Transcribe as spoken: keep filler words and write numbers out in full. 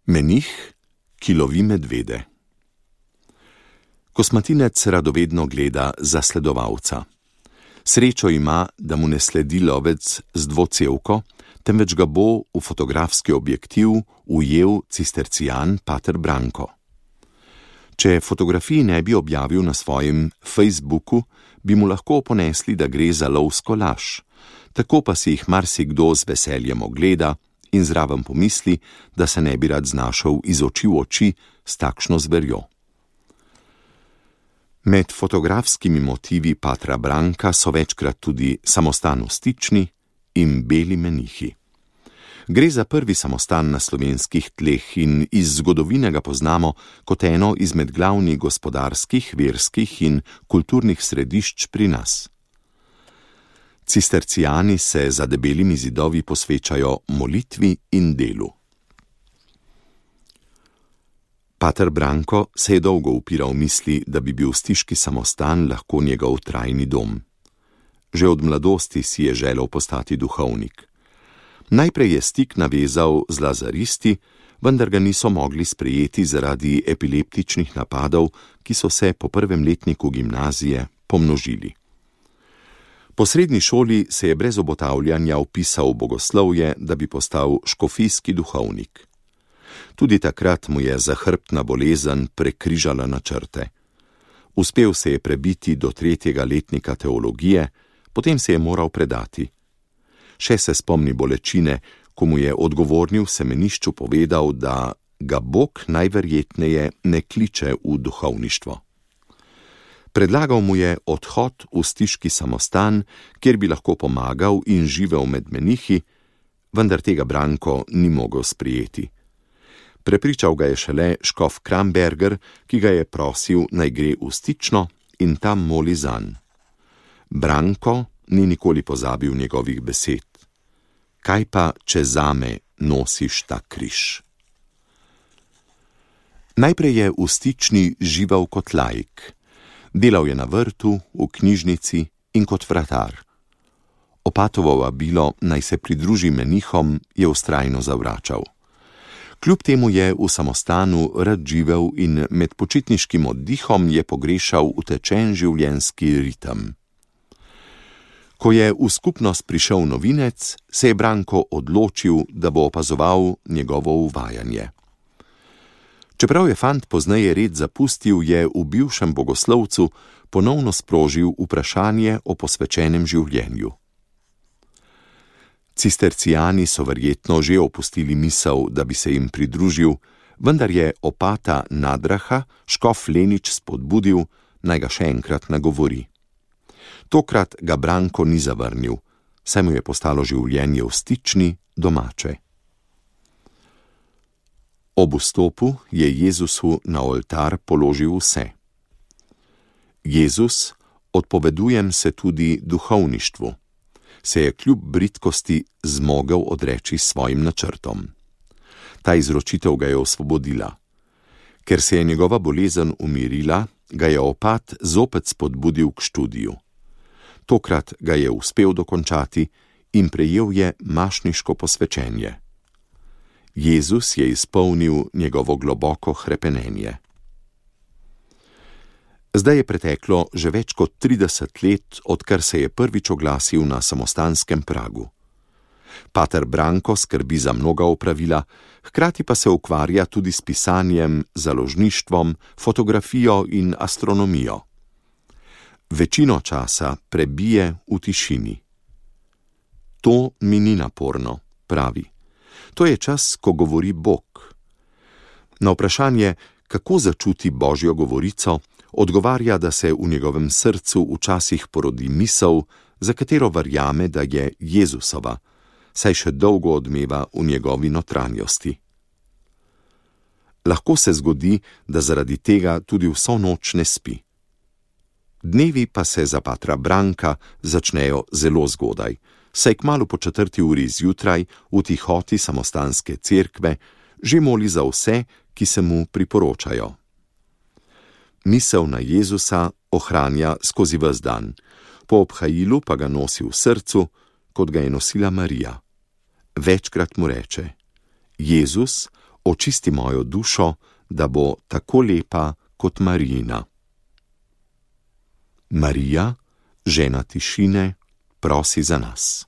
Menih, ki lovi medvede. Kosmatinec radovedno gleda zasledovalca. Srečo ima, da mu ne sledi lovec z dvocevko, temveč ga bo v fotografski objektiv ujel cistercijan pater Branko. Če fotografij ne bi objavil na svojem Facebooku, bi mu lahko ponesli, da gre za lovsko laž. Tako pa si jih marsikdo z veseljem ogleda in zraven pomisli, da se ne bi rad znašel iz oči v oči s takšno zverjo. Med fotografskimi motivi patra Branka so večkrat tudi samostanostični in beli menihi. Gre za prvi samostan na slovenskih tleh in iz zgodovine ga poznamo kot eno izmed glavnih gospodarskih, verskih in kulturnih središč pri nas. Cistercijani se za debelimi zidovi posvečajo molitvi in delu. Pater Branko se je dolgo upiral misli, da bi bil stiški samostan lahko njegov trajni dom. Že od mladosti si je želel postati duhovnik. Najprej je stik navezal z lazaristi, vendar ga niso mogli sprejeti zaradi epileptičnih napadov, ki so se po prvem letniku gimnazije pomnožili. Po srednji šoli se je brez obotavljanja vpisal v bogoslovje, da bi postal škofijski duhovnik. Tudi takrat mu je zahrbtna bolezen prekrižala načrte. Uspel se je prebiti do tretjega letnika teologije, potem se je moral predati. Še se spomni bolečine, ko mu je odgovorni v semenišču povedal, da ga Bog najverjetneje ne kliče v duhovništvo. Predlagal mu je odhod v stiški samostan, kjer bi lahko pomagal in živel med menihi, vendar tega Branko ni mogel sprejeti. Prepričal ga je šele škof Kramberger, ki ga je prosil, naj gre v Stično in tam moli zanj. Branko ni nikoli pozabil njegovih besed. Kaj pa, če zame nosiš ta križ? Najprej je v Stični živel kot laik. Delal je na vrtu, v knjižnici in kot vratar. Opatovo vabilo, naj se pridruži menihom, je vztrajno zavračal. Kljub temu je v samostanu rad živel in med počitniškim oddihom je pogrešal utečen življenjski ritem. Ko je v skupnost prišel novinec, se je Branko odločil, da bo opazoval njegovo uvajanje. Čeprav je fant pozneje red zapustil, je v bivšem bogoslovcu ponovno sprožil vprašanje o posvečenem življenju. Cistercijani so verjetno že opustili misel, da bi se jim pridružil, vendar je opata Nadraha škof Lenič spodbudil, naj ga še enkrat nagovori. Tokrat ga Branko ni zavrnil, saj mu je postalo življenje v Stični domače. Ob vstopu je Jezusu na oltar položil vse. Jezus, odpovedujem se tudi duhovništvu, se je kljub bridkosti zmogel odreči svojim načrtom. Ta izročitev ga je osvobodila. Ker se je njegova bolezen umirila, ga je opat zopet spodbudil k študiju. Tokrat ga je uspel dokončati in prejel je mašniško posvečenje. Jezus je izpolnil njegovo globoko hrepenenje. Zdaj je preteklo že več kot trideset let, odkar se je prvič oglasil na samostanskem pragu. Pater Branko skrbi za mnoga opravila, hkrati pa se ukvarja tudi s pisanjem, založništvom, fotografijo in astronomijo. Večino časa prebije v tišini. To mi ni naporno, pravi. To je čas, ko govori Bog. Na vprašanje, kako začuti Božjo govorico, odgovarja, da se v njegovem srcu včasih porodi misel, za katero verjame, da je Jezusova, saj še dolgo odmeva v njegovi notranjosti. Lahko se zgodi, da zaradi tega tudi vso noč ne spi. Dnevi pa se za patra Branka začnejo zelo zgodaj, saj kmalu po četrti uri zjutraj v tihoti samostanske cerkve že moli za vse, ki se mu priporočajo. Misel na Jezusa ohranja skozi ves dan, po obhajilu pa ga nosi v srcu, kot ga je nosila Marija. Večkrat mu reče: Jezus, očisti mojo dušo, da bo tako lepa kot Marijina. Marija, žena tišine, prosi za nas.